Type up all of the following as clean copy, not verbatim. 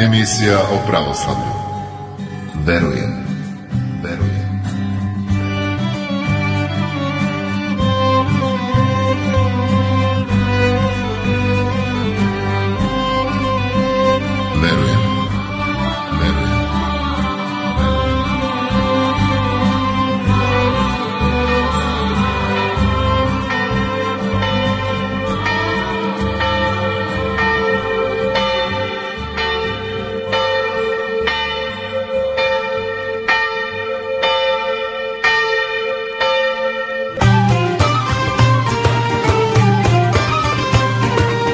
Emisija o pravoslavlju. Verujem.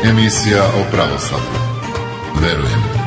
Emisija o pravoslavlju. Verujem.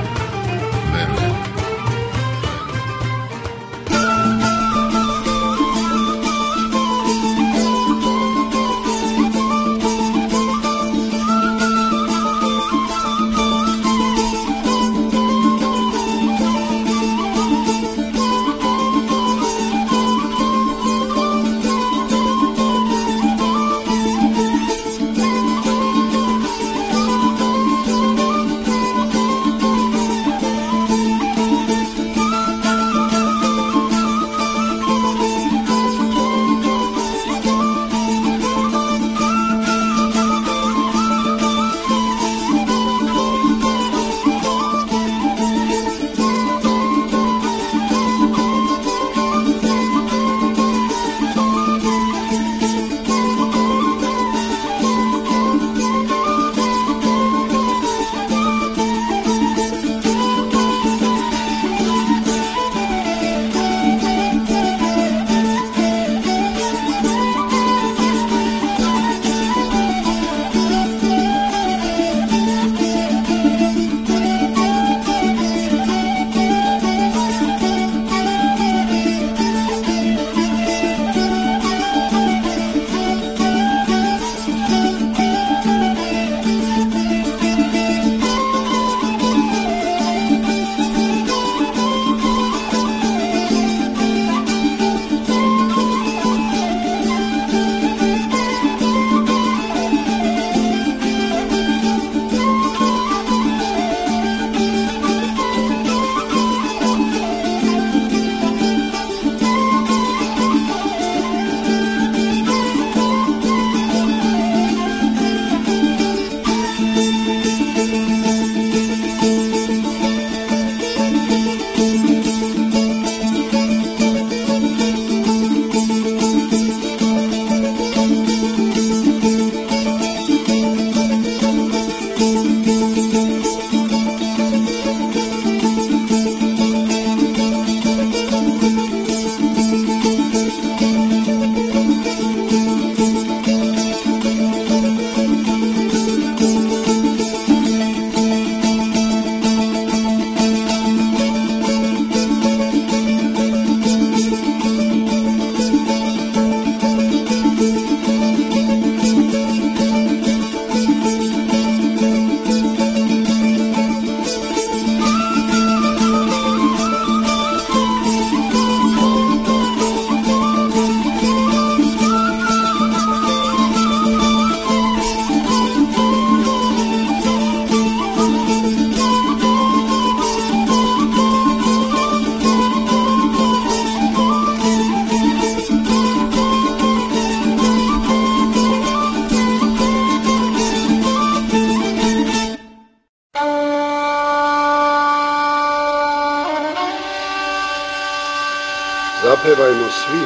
Zapevajmo svi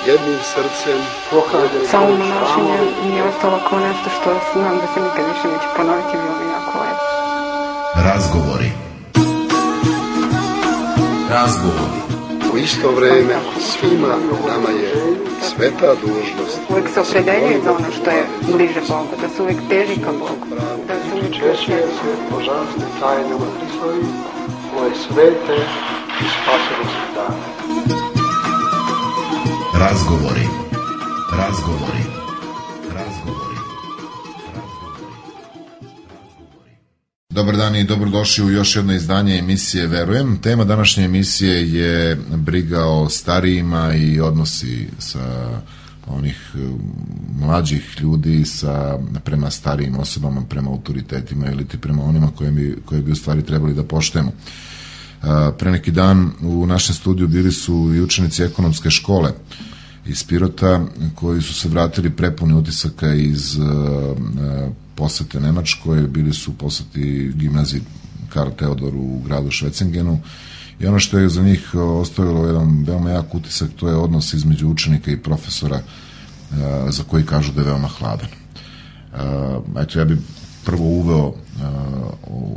jednim srcem. Samo monašenje mi je ostalo kao nešto što znam da se nikad više neće ponoviti, bilo mi jako lepo. Razgovori. U isto vreme svima nama je sveta dužnost. Uvijek se opredeljuje za ono što je bliže Bogu, da se uvijek teži ka Bogu. Da se uvijek češće se božanstve tajne u Hristovi, koje svete i spasonosne dane. Razgovori. Dobar dan i dobrodošli u još jedno izdanje emisije Verujem. Tema današnje emisije je briga o starijima i odnosi sa onih mlađih ljudi prema starijim osobama, prema autoritetima ili prema onima koje bi u stvari trebali da poštujemo. Pre neki dan u našem studiju bili su i učenici ekonomske škole iz Pirota, koji su se vratili prepuni utisaka iz posete Nemačkoj, bili su u poseti gimnaziji Karl Theodor u gradu Švecingenu, i ono što je za njih ostavilo jedan veoma jak utisak, to je odnos između učenika i profesora, za koji kažu da je veoma hladan. Eto, ja bih prvo uveo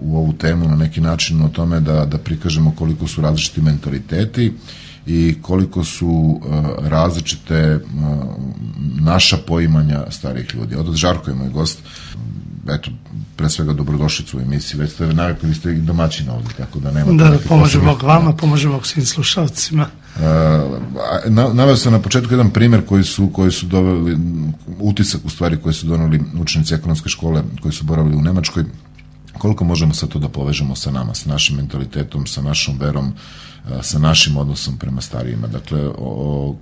u ovu temu na neki način o tome da prikažemo koliko su različiti mentaliteti i koliko su različite naša poimanja starijih ljudi. Od Žarko je moj gost. Eto, pre svega dobrodošlicu u emisiji. Već ste navikli, vi ste i domaćina ovdje, tako da nema... Da, pomože Bog vama, pomože Bog svim slušalcima. Naveo sam na početku jedan primjer koji su doveli, utisak u stvari koji su doneli učenici ekonomske škole koji su boravili u Nemačkoj. Koliko možemo sad to da povežemo sa nama, sa našim mentalitetom, sa našom verom, sa našim odnosom prema starijima. Dakle,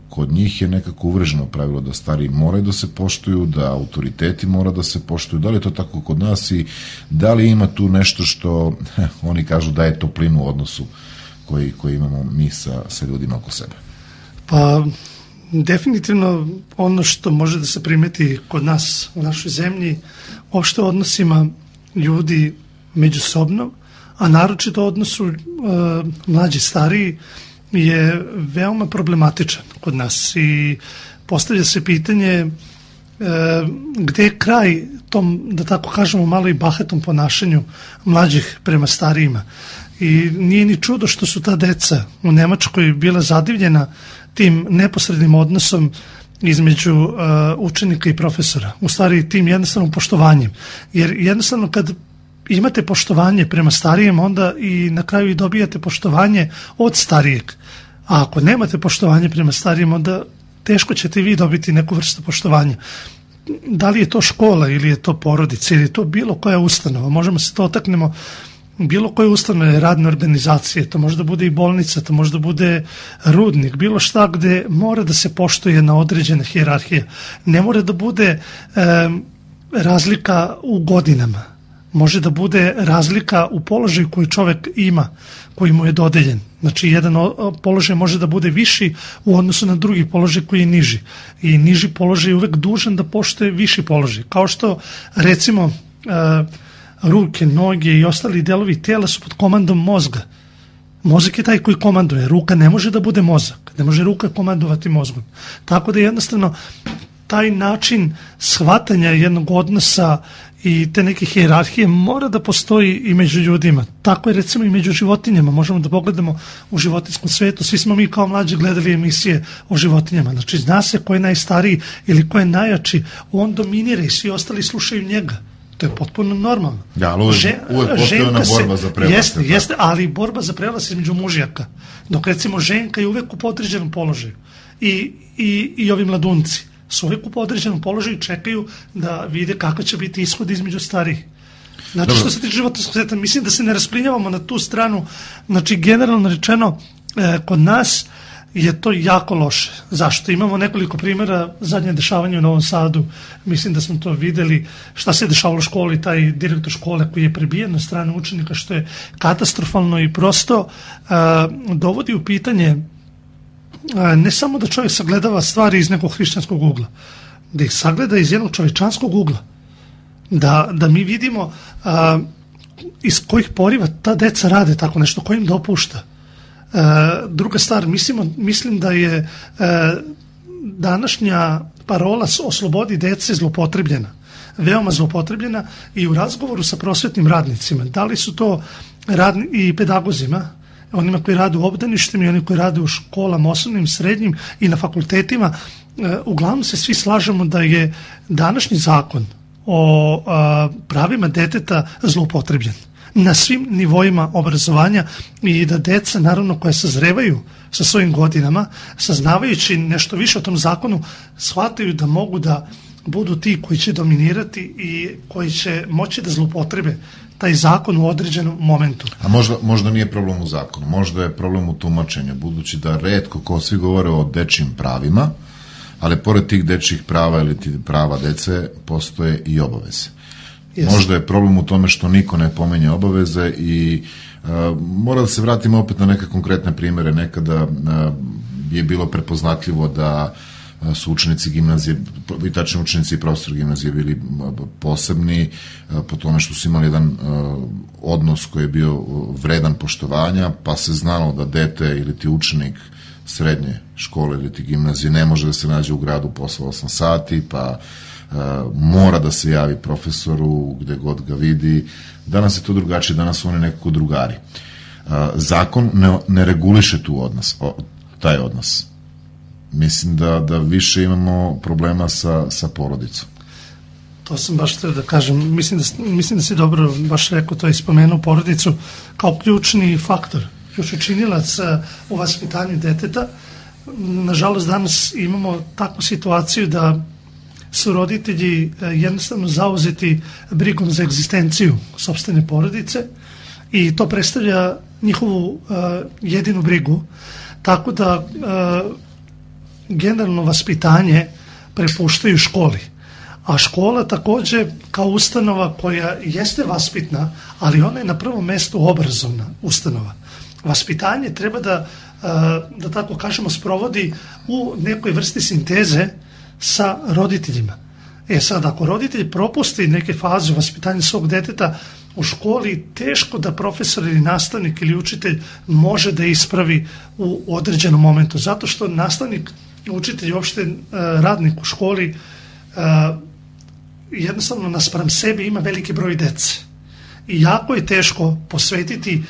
kod njih je nekako uvreženo pravilo da stariji moraju da se poštuju, da autoriteti mora da se poštuju. Da li je to tako kod nas i da li ima tu nešto što oni kažu da je toplinu u odnosu koji imamo mi sa ljudima oko sebe? Pa, definitivno ono što može da se primeti kod nas u našoj zemlji, uopšte odnosima ljudi međusobno, a naročito odnosu mlađi stariji, je veoma problematičan kod nas i postavlja se pitanje gde je kraj tom, da tako kažemo, malo i bahatom ponašanju mlađih prema starijima. I nije ni čudo što su ta deca u Nemačkoj bila zadivljena tim neposrednim odnosom između učenika i profesora. U stvari tim jednostavnom poštovanjem. Jer jednostavno kad imate poštovanje prema starijem, onda i na kraju i dobijate poštovanje od starijeg. A ako nemate poštovanje prema starijem, onda teško ćete vi dobiti neku vrstu poštovanja. Da li je to škola ili je to porodica ili je to bilo koja ustanova, možemo se to otaknemo, bilo koje ustanove, radne organizacije, to može da bude i bolnica, to može da bude rudnik, bilo šta gde mora da se poštuje na određena hijerarhija. Ne mora da bude razlika u godinama, može da bude razlika u položaju koji čovek ima, koji mu je dodeljen. Znači, jedan položaj može da bude viši u odnosu na drugi položaj koji je niži. I niži položaj je uvek dužan da poštuje viši položaj. Kao što, recimo, ruke, noge i ostali delovi tela su pod komandom mozga. Mozak je taj koji komanduje. Ruka ne može da bude mozak. Ne može ruka komandovati mozgom. Tako da jednostavno taj način shvatanja jednog odnosa i te neke hijerarhije mora da postoji i među ljudima. Tako je recimo i među životinjama. Možemo da pogledamo u životinjskom svetu. Svi smo mi kao mlađi gledali emisije o životinjama. Znači, zna se ko je najstariji ili ko je najjači. On dominira i svi ostali slušaju njega. To je potpuno normalno. Ja, ali uvek postoji ona borba za prevlast. Jeste, ali borba za prevlast između mužjaka. Dok recimo ženka je uvek u podređenom položaju. I ovi mladunci su uvek u podređenom položaju i čekaju da vide kako će biti ishod između starijih. Znači, što se tiče životinjskog sveta, mislim da se ne rasplinjavamo na tu stranu. Znači, generalno rečeno, kod nas je to jako loše. Zašto? Imamo nekoliko primjera, zadnje dešavanje u Novom Sadu, mislim da smo to videli, šta se dešavalo u školi, taj direktor škole koji je prebijen na stranu učenika, što je katastrofalno i prosto dovodi u pitanje ne samo da čovjek sagledava stvari iz nekog hrišćanskog ugla, da ih sagleda iz jednog čovečanskog ugla. Da mi vidimo iz kojih poriva ta deca rade tako nešto, ko im dopušta. Druga stvar, mislim da je današnja parola o slobodi dece zlopotrebljena, veoma zlopotrebljena i u razgovoru sa prosvetnim radnicima. Da li su to i pedagozima, onima koji rade u obdaništima i oni koji rade u školama, osnovnim, srednjim i na fakultetima, uglavnom se svi slažemo da je današnji zakon o pravima deteta zloupotrebljen na svim nivoima obrazovanja i da deca, naravno, koja sazrevaju sa svojim godinama, saznavajući nešto više o tom zakonu, shvataju da mogu da budu ti koji će dominirati i koji će moći da zloupotrebe taj zakon u određenom momentu. A možda nije problem u zakonu, možda je problem u tumačenju, budući da retko, ko svi govore o dečjim pravima, ali pored tih dečjih prava ili prava dece postoje i obaveze. Yes. Možda je problem u tome što niko ne pomenje obaveze i mora da se vratimo opet na neke konkretne primere. Nekada je bilo prepoznatljivo da su učenici gimnazije, i tačni učenici i profesori gimnazije bili posebni po tome što su imali jedan odnos koji je bio vredan poštovanja, pa se znalo da dete ili ti učenik srednje škole ili ti gimnazije ne može da se nađe u gradu posle 8 sati, pa mora da se javi profesoru gde god ga vidi. Danas je to drugačije, danas su oni nekako drugari. Zakon ne reguliše taj odnos. Mislim da više imamo problema sa porodicom. To sam baš htio da kažem. Mislim da si dobro baš rekao to i spomenuo porodicu kao ključni faktor, ključni činilac u vaspitanju deteta. Nažalost, danas imamo takvu situaciju da su roditelji jednostavno zauzeti brigom za egzistenciju sopstvene porodice i to predstavlja njihovu jedinu brigu, tako da generalno vaspitanje prepuštaju školi. A škola takođe kao ustanova koja jeste vaspitna, ali ona je na prvom mestu obrazovna ustanova. Vaspitanje treba da tako kažemo sprovodi u nekoj vrsti sinteze sa roditeljima. Sad, ako roditelj propusti neke faze vaspitanja svog deteta u školi, teško da profesor ili nastavnik ili učitelj može da ispravi u određenom momentu, zato što nastavnik, učitelj, uopšte radnik u školi jednostavno naspram sebi ima veliki broj dece. I jako je teško posvetiti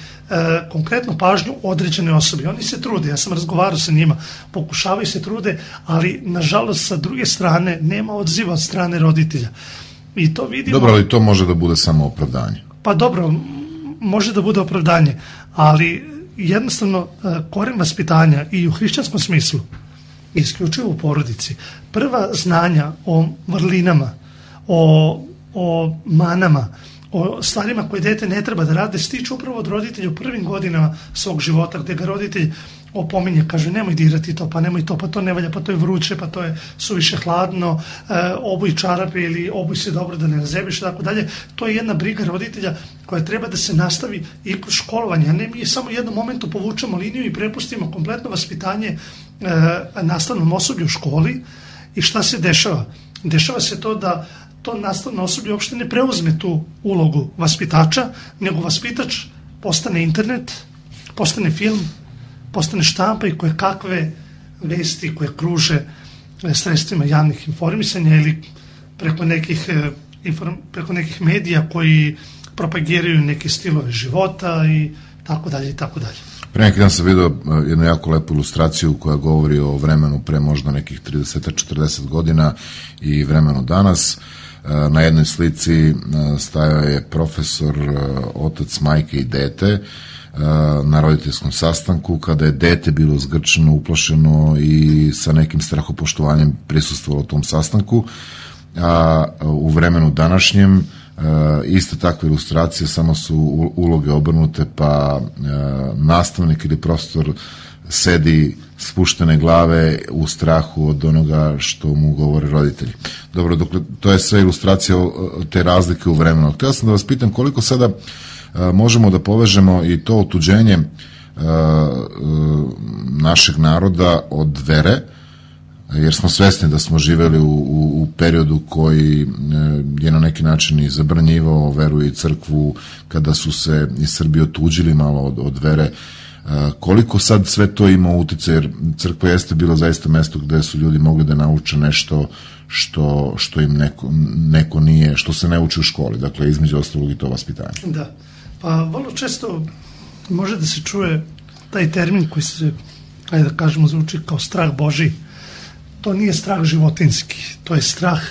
konkretnu pažnju određene osobi. Oni se trude, ja sam razgovarao sa njima, pokušavaju se trude, ali nažalost sa druge strane nema odziva od strane roditelja. I to vidimo... Dobro, ali to može da bude samo opravdanje. Pa dobro, može da bude opravdanje, ali jednostavno koren vaspitanja i u hrišćanskom smislu, isključivo u porodici, prva znanja o vrlinama, o manama, o stvarima koje dete ne treba da rade, stiču upravo od roditelja u prvim godinama svog života, gde ga roditelj opominje, kaže nemoj dirati to, pa nemoj to, pa to ne valja, pa to je vruće, pa to je suviše hladno, obuj čarape ili obuj se dobro da ne razebiš, tako dalje. To je jedna briga roditelja koja treba da se nastavi i kroz školovanje, a ne mi samo u jednom momentu povučemo liniju i prepustimo kompletno vaspitanje nastavnom osoblju u školi. I šta se dešava? Dešava se to da to nastavno osoblje uopšte ne preuzme tu ulogu vaspitača, nego vaspitač postane internet, postane film, postane štampa i koje kakve vesti koje kruže sredstvima javnih informisanja ili preko nekih medija koji propagiraju neke stilove života i tako dalje i tako dalje. Pre neki dan sam vidio jednu jako lepu ilustraciju koja govori o vremenu pre možda nekih 30-40 godina i vremenu danas. Na jednoj slici stajao je profesor, otac, majke i dete na roditeljskom sastanku kada je dete bilo zgrčeno, uplašeno i sa nekim strahopoštovanjem prisustvovalo tom sastanku. A u vremenu današnjem iste takve ilustracije, samo su uloge obrnute, pa nastavnik ili profesor sedi spuštene glave u strahu od onoga što mu govore roditelji. Dobro, dokle, to je sve ilustracija te razlike u vremenu. Htio sam da vas pitam koliko sada možemo da povežemo i to otuđenje našeg naroda od vere, jer smo svesni da smo živeli u periodu koji je na neki način i zabranjivao veru i crkvu, kada su se i Srbi otuđili malo od vere. Koliko sad sve to ima utice, jer crkva jeste bila zaista mesto gde su ljudi mogli da nauče nešto što im neko nije, što se ne uči u školi, dakle između ostalog i to vaspitanje. Da, pa vrlo često može da se čuje taj termin koji se, ajde da kažemo, zvuči kao strah Božiji. To nije strah životinski, to je strah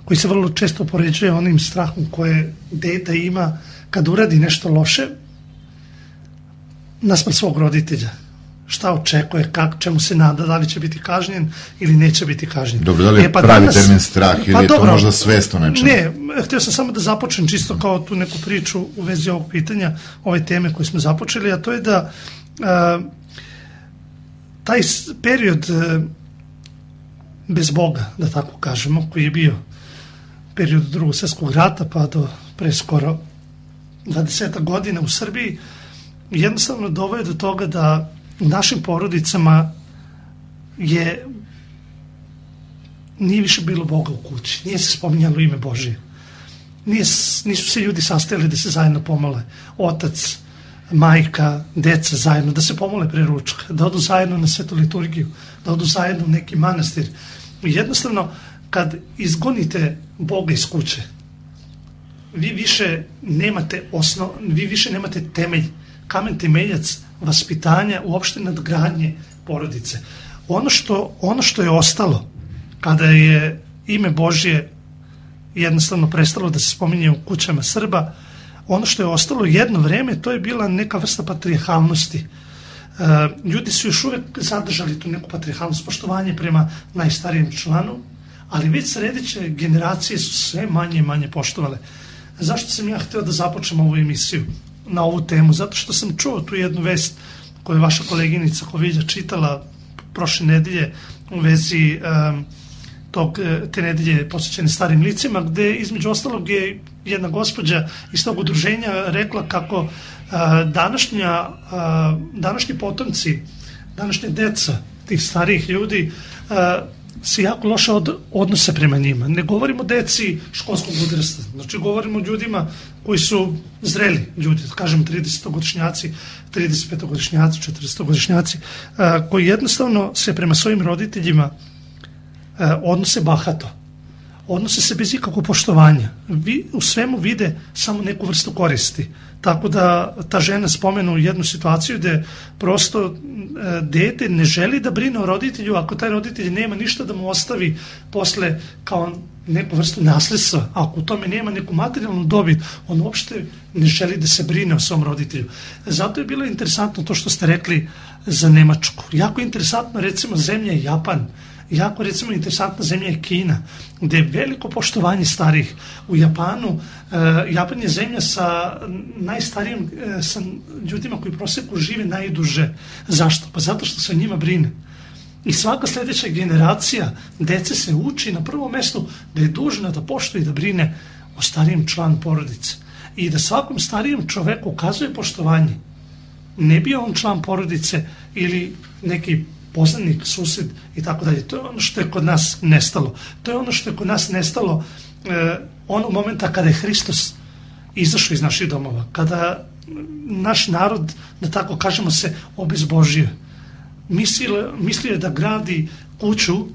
koji se vrlo često poređuje onim strahom koje dete ima kad uradi nešto loše naspram svog roditelja. Šta očekuje, čemu se nada, da li će biti kažnjen ili neće biti kažnjen. Dobro, da li je pravi termin strah ili je to možda svest o nečemu? Ne, htio sam samo da započnem čisto kao tu neku priču u vezi ovog pitanja, ove teme koje smo započeli, a to je da taj period bez Boga, da tako kažemo, koji je bio period Drugog svjetskog rata pa do pre skoro 20 godina u Srbiji, jednostavno doveo do toga da u našim porodicama nije više bilo Boga u kući, nije se spominjalo ime Božije. Nisu se ljudi sastajali da se zajedno pomole. Otac, majka, deca zajedno, da se pomole pre ručka, da odu zajedno na svetu liturgiju, da odu zajedno u neki manastir. Jednostavno, kad izgonite Boga iz kuće, vi više nemate temelj, kamen temeljac vaspitanja, uopšte nadgradnje porodice. Ono što je ostalo, kada je ime Božje jednostavno prestalo da se spominje u kućama Srba, ono što je ostalo jedno vreme, to je bila neka vrsta patrijarhalnosti. Ljudi su još uvek zadržali tu neku patrijarhalnost, poštovanje prema najstarijem članu, ali već sledeće generacije su sve manje i manje poštovale. Zašto sam ja hteo da započnem ovu emisiju na ovu temu? Zato što sam čuo tu jednu vest koju je vaša koleginica Kovilja čitala prošle nedelje u vezi te nedelje posvećene starim licima, gde između ostalog je jedna gospođa iz tog udruženja rekla kako današnji potomci, današnje deca tih starijih ljudi se jako loše odnose prema njima. Ne govorimo o deci školskog uzrasta, znači govorimo o ljudima koji su zreli ljudi, kažem 30-godišnjaci, 35-godišnjaci, 40-godišnjaci, koji jednostavno se prema svojim roditeljima odnose bahato, odnose se bez ikakvog poštovanja. U svemu vide samo neku vrstu koristi. Tako da ta žena spomenu jednu situaciju gde prosto dete ne želi da brine o roditelju ako taj roditelj nema ništa da mu ostavi posle kao neku vrstu nasledstva. Ako u tome nema neku materijalnu dobit, on uopšte ne želi da se brine o svom roditelju. Zato je bilo interesantno to što ste rekli za Nemačku. Jako interesantno recimo zemlja Japan, jako recimo interesantna zemlja je Kina, gde je veliko poštovanje starih. U Japanu, Japan je zemlja sa najstarijim, sa ljudima koji u proseku žive najduže. Zašto? Pa zato što se o njima brine. I svaka sledeća generacija dece se uči na prvom mestu da je dužna da poštuje i da brine o starijem članu porodice. I da svakom starijem čoveku ukazuje poštovanje. Ne bio on član porodice ili neki poznanik, sused i tako dalje. To je ono što je kod nas nestalo. To je ono što je kod nas nestalo onog momenta kada je Hristos izašao iz naših domova. Kada naš narod, da tako kažemo, se obezbožio. Mislio je da gradi kuću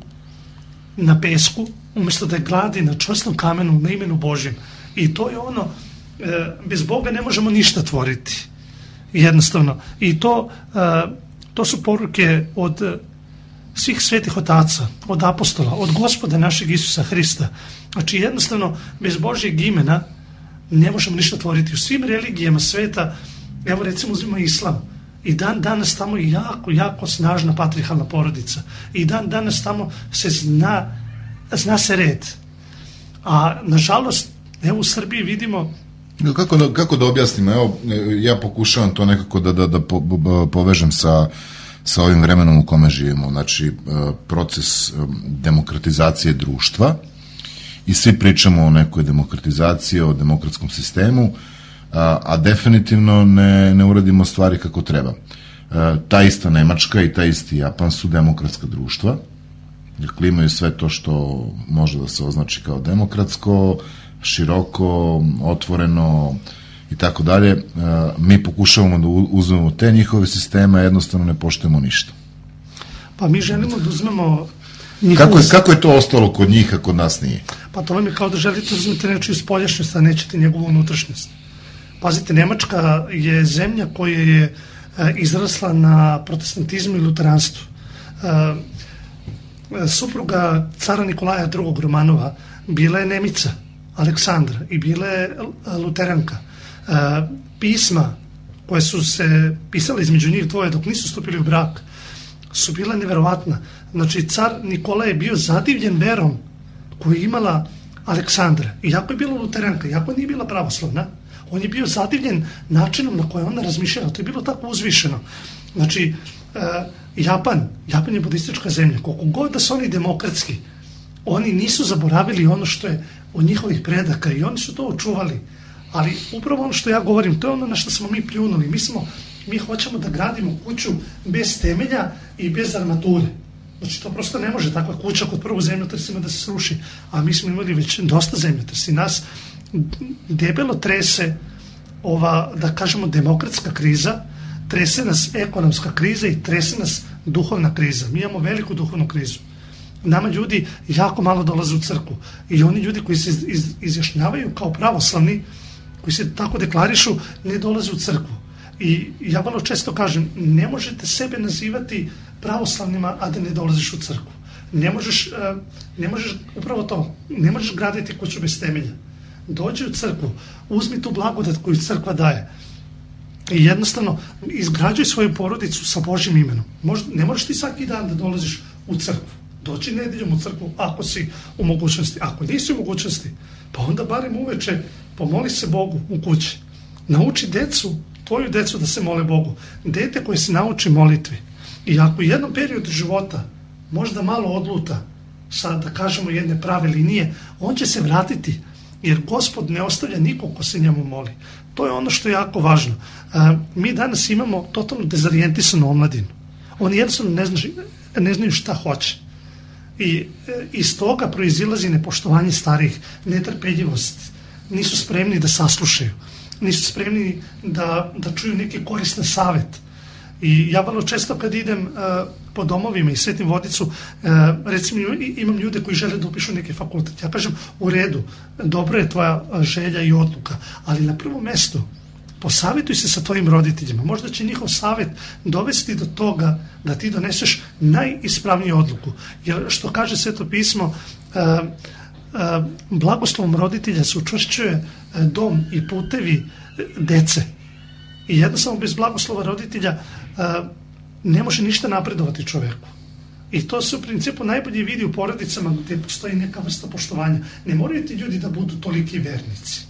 na pesku, umjesto da je gradi na čvrstom kamenu, na imenu Božjem. I to je ono, bez Boga ne možemo ništa tvoriti. Jednostavno. I to su poruke od svih svetih otaca, od apostola, od Gospoda našeg Isusa Hrista. Znači jednostavno bez Božjeg imena ne možemo ništa tvoriti. U svim religijama sveta, evo recimo uzmimo islam, i dan danas tamo je jako snažna patrijarhalna porodica. I dan danas tamo se zna se red. A nažalost, evo u Srbiji vidimo. Kako da objasnimo? Evo, ja pokušavam to nekako da povežem sa ovim vremenom u kome živimo. Znači, proces demokratizacije društva i svi pričamo o nekoj demokratizaciji, o demokratskom sistemu, a definitivno ne uradimo stvari kako treba. Ta ista Nemačka i ta isti Japan su demokratska društva, dakle imaju sve to što može da se označi kao demokratsko, široko, otvoreno i tako dalje. Mi pokušavamo da uzmemo te njihove sisteme, a jednostavno ne poštujemo ništa. Pa mi želimo da uzmemo Kako je to ostalo kod njih, a kod nas nije? Pa to vam je kao da želite uzmeti nečiju spoljašnjost, a nećete njegovu unutrašnjost. Pazite, Nemačka je zemlja koja je izrasla na protestantizmu i luteranstvu. Supruga cara Nikolaja II. Romanova bila je Nemica, Aleksandra, i bila je luteranka. Pisma koje su se pisale između njih dvoje dok nisu stupili u brak su bila neverovatna. Znači, car Nikola je bio zadivljen verom koju je imala Aleksandra. Iako je bila luteranka, iako nije bila pravoslavna, On je bio zadivljen načinom na koji ona razmišljala. To je bilo tako uzvišeno. Znači, Japan je budistička zemlja. Koliko god da su oni demokratski, oni nisu zaboravili ono što je od njihovih predaka i oni su to očuvali. Ali upravo ono što ja govorim, to je ono na što smo mi pljunuli. Mi hoćemo da gradimo kuću bez temelja i bez armature. Znači, to prosto ne može takva kuća kod prvog zemljotresa da se sruši. A mi smo imali već dosta zemljotresa i nas debelo trese ova, da kažemo, demokratska kriza, trese nas ekonomska kriza i trese nas duhovna kriza. Mi imamo veliku duhovnu krizu. Nama ljudi jako malo dolaze u crkvu i oni ljudi koji se izjašnjavaju kao pravoslavni, koji se tako deklarišu, ne dolaze u crkvu. I ja vrlo često kažem, ne možete sebe nazivati pravoslavnima, a da ne dolaziš u crkvu. Ne možeš upravo to, ne možeš graditi kuću bez temelja. Dođi u crkvu, uzmi tu blagodat koju crkva daje i jednostavno izgrađuj svoju porodicu sa Božjim imenom. Ne možeš ti svaki dan da dolaziš u crkvu. Doći nedeljom u crkvu ako si u mogućnosti. Ako nisi u mogućnosti, pa onda barem uveče pomoli se Bogu u kući. Nauči tvoju decu da se mole Bogu. Dete koje se nauči molitvi. I ako u jednom periodu života možda malo odluta sa, da kažemo, jedne prave linije, on će se vratiti, jer Gospod ne ostavlja nikog ko se njemu moli. To je ono što je jako važno. Mi danas imamo totalno dezorijentisanu omladinu. Oni jednostavno ne znaju šta hoće. I iz toga proizilazi nepoštovanje starijih, netrpeljivost. Nisu spremni da saslušaju. Nisu spremni da čuju neki koristan savjet. I ja vrlo često kad idem po domovima i svetim vodicu, recimo imam ljude koji žele da upišu neki fakultet. Ja kažem, u redu, dobro je tvoja želja i odluka, ali na prvom mestu posavjetuj se sa tvojim roditeljima. Možda će njihov savjet dovesti do toga da ti doneseš najispravniju odluku. Jer što kaže Sveto pismo, blagoslovom roditelja se učvršćuje dom i putevi dece. I jednostavno bez blagoslova roditelja ne može ništa napredovati čoveku. I to se u principu najbolje vidi u porodicama gdje postoji neka vrsta poštovanja. Ne moraju ti ljudi da budu toliki vernici.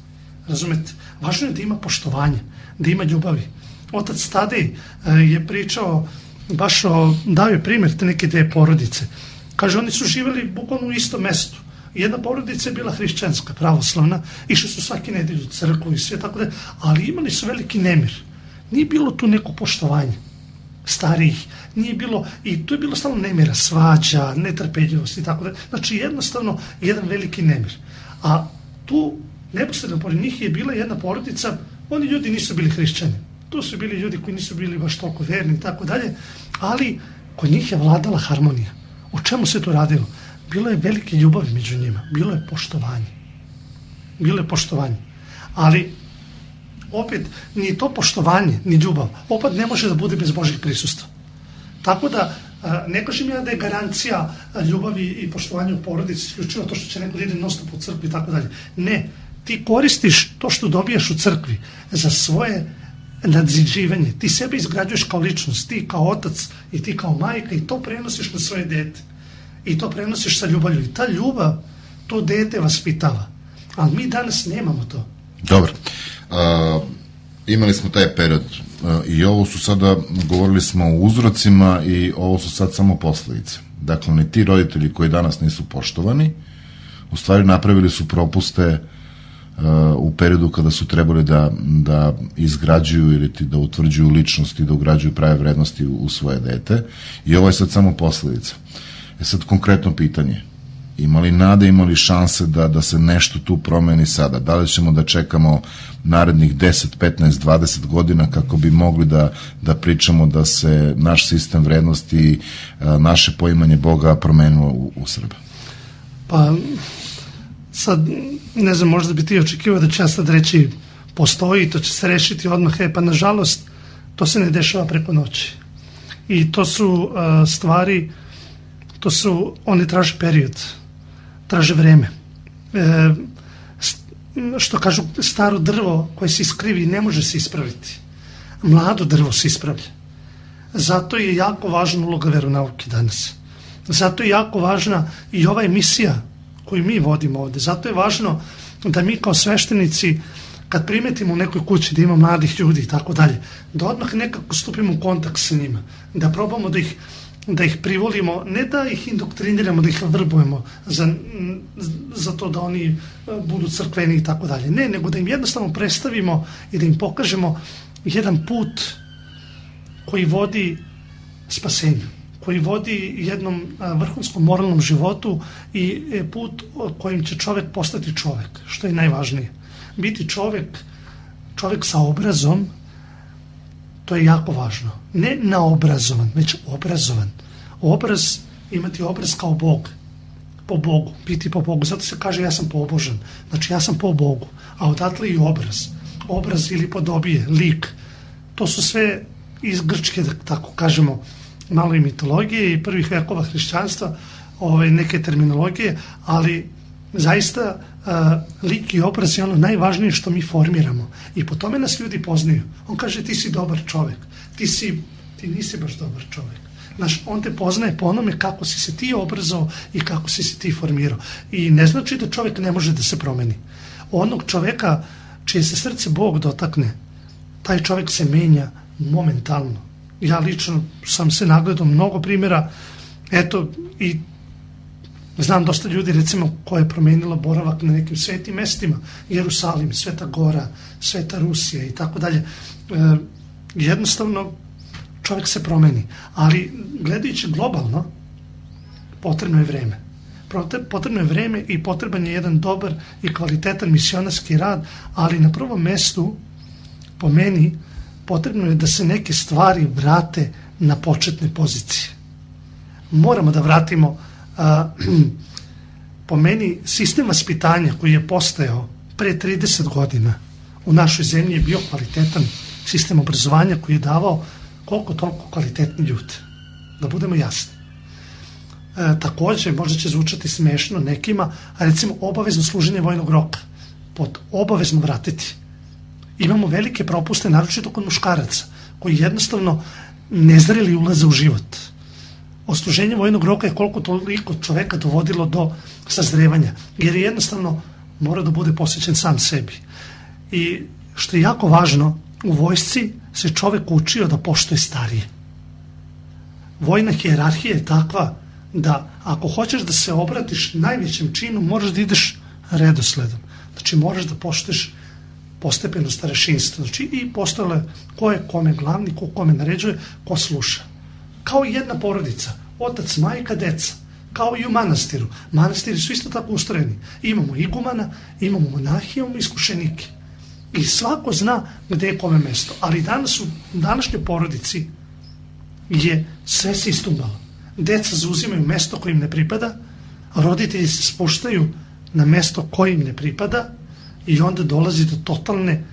Razumete? Važno je da ima poštovanja, da ima ljubavi. Otac Tadej je pričao, dao je primjer te neke dve porodice. Kaže, oni su živjeli bukvalno u istom mestu. Jedna porodica je bila hrišćanska, pravoslavna, išli su svaki nedelj u crkvu i sve tako da, ali imali su veliki nemir. Nije bilo tu neko poštovanje starijih, nije bilo, i tu je bilo stalno nemira, svađa, netrpeljivost i tako da. Znači jednostavno jedan veliki nemir. A tu neposredno pored njih je bila jedna porodica, oni ljudi nisu bili hrišćani. Tu su bili ljudi koji nisu bili baš toliko verni i tako dalje, ali kod njih je vladala harmonija. O čemu se to radilo? Bilo je velike ljubavi među njima, bilo je poštovanje. Bilo je poštovanje. Ali opet ni to poštovanje, ni ljubav, opet ne može da bude bez Božjeg prisustva. Tako da ne kažem ja da je garancija ljubavi i poštovanja u porodici isključivo to što će neko da ide non-stop u crkvi i tako dalje. Ne, ti koristiš to što dobijaš u crkvi za svoje nadziđivanje. Ti sebe izgrađuješ kao ličnost, ti kao otac i ti kao majka i to prenosiš na svoje dete. I to prenosiš sa ljubavlju. I ta ljubav, to dete vaspitava. Ali mi danas nemamo to. Dobro. Imali smo taj period i ovo su sada, govorili smo o uzrocima i ovo su sad samo posledice. Dakle, ni ti roditelji koji danas nisu poštovani, u stvari napravili su propuste u periodu kada su trebali da izgrađuju ili da utvrđuju ličnosti, da ugrađuju prave vrednosti u svoje dete i ovo je sad samo posledica. Sad konkretno pitanje, ima li nade, ima li šanse da se nešto tu promeni sada? Da li ćemo da čekamo narednih 10, 15, 20 godina kako bi mogli da pričamo da se naš sistem vrednosti, naše poimanje Boga promenilo u Srbiji? Pa sad, ne znam, možda bi ti očekivao da će ja sad reći postoji, to će se rešiti odmah, pa nažalost to se ne dešava preko noći. I to su stvari, oni traže period, traže vreme. Što kažu, staro drvo koje se iskrivi ne može se ispraviti. Mlado drvo se ispravlja. Zato je jako važna uloga veronauke danas. Zato je jako važna i ova emisija koju mi vodimo ovde. Zato je važno da mi kao sveštenici, kad primetimo u nekoj kući da ima mladih ljudi i tako dalje, da odmah nekako stupimo u kontakt sa njima, da probamo da ih privolimo, ne da ih indoktriniramo, da ih vrbujemo za to da oni budu crkveni i tako dalje. Ne, nego da im jednostavno predstavimo i da im pokažemo jedan put koji vodi spasenju, koji vodi jednom vrhunskom moralnom životu i put kojim će čovek postati čovek, što je najvažnije. Biti čovek sa obrazom, to je jako važno. Ne naobrazovan, već obrazovan. Imati obraz kao Bog, po Bogu, biti po Bogu. Zato se kaže ja sam pobožan, znači ja sam po Bogu, a odatle i obraz. Obraz ili podobije, lik, to su sve iz grčke, da tako kažemo, malo i mitologije i prvih vekova hrišćanstva, neke terminologije, ali zaista lik i obraz je ono najvažnije što mi formiramo i po tome nas ljudi poznaju. On kaže ti si dobar čovek, ti nisi baš dobar čovek. Znaš, on te poznaje po onome kako si se ti obrazao i kako si se ti formirao. I ne znači da čovek ne može da se promeni. Onog čoveka čije se srce Bog dotakne, taj čovek se menja momentalno. Ja lično sam se nagledao mnogo primjera, eto, i znam dosta ljudi, recimo, koja je promenila boravak na nekim svetim mestima, Jerusalim, Sveta Gora, Sveta Rusija i tako dalje. Jednostavno, čovjek se promeni, ali gledajući globalno, potrebno je vreme. Potrebno je vreme i potreban je jedan dobar i kvalitetan misionarski rad, ali na prvom mestu, po meni, potrebno je da se neke stvari vrate na početne pozicije. Moramo da vratimo, po meni, sistem vaspitanja koji je postojao pre 30 godina u našoj zemlji je bio kvalitetan sistem obrazovanja koji je davao koliko toliko kvalitetni ljudi. Da budemo jasni. Takođe, možda će zvučati smešno nekima, a recimo obavezno služenje vojnog roka. Pod obavezno vratiti. Imamo velike propuste, naročito kod muškaraca, koji jednostavno nezreli ulaze u život. Odsluženje vojnog roka je koliko toliko čoveka dovodilo do sazrevanja, jer jednostavno mora da bude posvećen sam sebi. I što je jako važno, u vojsci se čovek učio da poštuje starije. Vojna hijerarhija je takva da ako hoćeš da se obratiš najvećem činu, moraš da ideš redosledom. Znači moraš da poštuješ postepeno starešinstvo. Znači i postojale ko je kome glavni, ko kome naređuje, ko sluša. Kao i jedna porodica, otac, majka, deca, kao i u manastiru. Manastiri su isto tako ustrojeni. Imamo igumana, imamo monahije, imamo iskušenike. I svako zna gde je kome mesto. Ali danas u današnjoj porodici je sve se istumbalo. Deca zauzimaju mesto koje im ne pripada, a roditelji se spuštaju na mesto koje im ne pripada i onda dolazi do totalne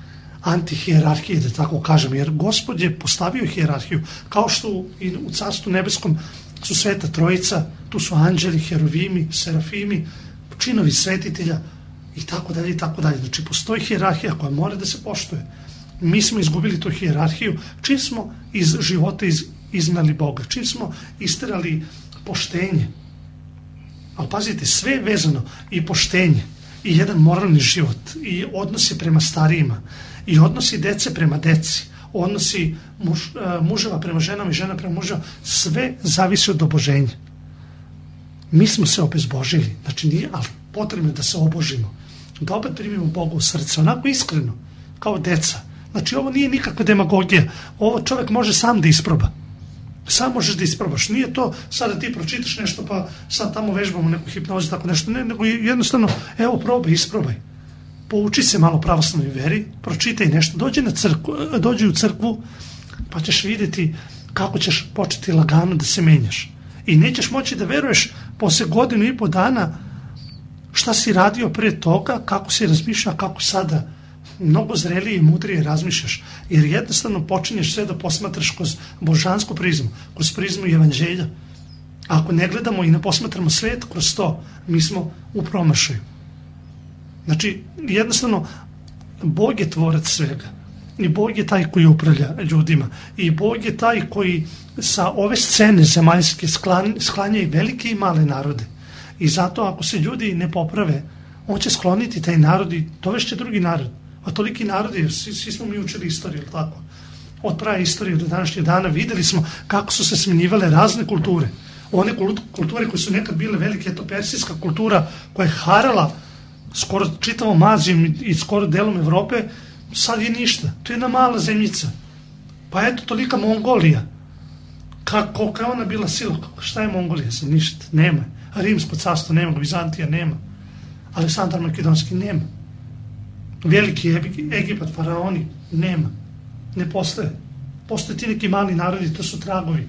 antihijerarhije, da tako kažem, jer Gospod je postavio hijerarhiju, kao što i u Carstvu nebeskom su Sveta Trojica, tu su anđeli, heruvimi, serafimi, činovi svetitelja i tako dalje i tako dalje. Znači postoji hijerarhija koja mora da se poštuje. Mi smo izgubili tu hijerarhiju čim smo iz života iznali Boga, čim smo isterali poštenje. Ali pazite, sve je vezano, i poštenje, i jedan moralni život, i odnosi prema starijima, i odnosi dece prema deci, odnosi muževa prema ženama i žena prema muževa, sve zavisi od oboženja. Mi smo se obezbožili, znači nije, ali potrebno je da se obožimo, da opet primimo Boga u srce, onako iskreno, kao deca. Znači ovo nije nikakva demagogija, ovo čovjek može sam da isproba. Sam možeš da isprobaš. Nije to sada ti pročitaš nešto pa sad tamo vežbamo neku hipnozu, tako nešto. Ne, nego jednostavno, evo probaj, isprobaj. Pouči se malo pravoslavnoj veri, pročitaj nešto, dođi u crkvu pa ćeš vidjeti kako ćeš početi lagano da se menjaš. I nećeš moći da veruješ posle 1.5 godina šta si radio pre toga, kako si razmišljao, kako sada mnogo zrelije i mudrije razmišljaš, jer jednostavno počinješ sve da posmatraš kroz božansku prizmu, kroz prizmu evanđelja. Ako ne gledamo i ne posmatramo svet kroz to, mi smo u promašaju. Znači, jednostavno, Bog je tvorac svega. I Bog je taj koji upravlja ljudima. I Bog je taj koji sa ove scene zemaljske sklanja i velike i male narode. I zato ako se ljudi ne poprave, on će skloniti taj narod i dovešće drugi narod. A toliki narodi, svi smo mi učili istoriju, tako? Od prave istorije do današnjeg dana videli smo kako su se smenjivale razne kulture. One kulture koje su nekad bile velike, je to persijska kultura koja je harala skoro čitavom Azijom i skoro delom Evrope, sad je ništa. To je jedna mala zemljica. Pa eto, tolika Mongolija. Kolika je ona bila sila? Šta je Mongolija? Sad ništa. Nema. Rimsko carstvo nema, Bizantija nema. Aleksandar Makedonski nema. Veliki Egipat, faraoni nema. Ne postoje. Postoje ti neki mali narodi, to su tragovi.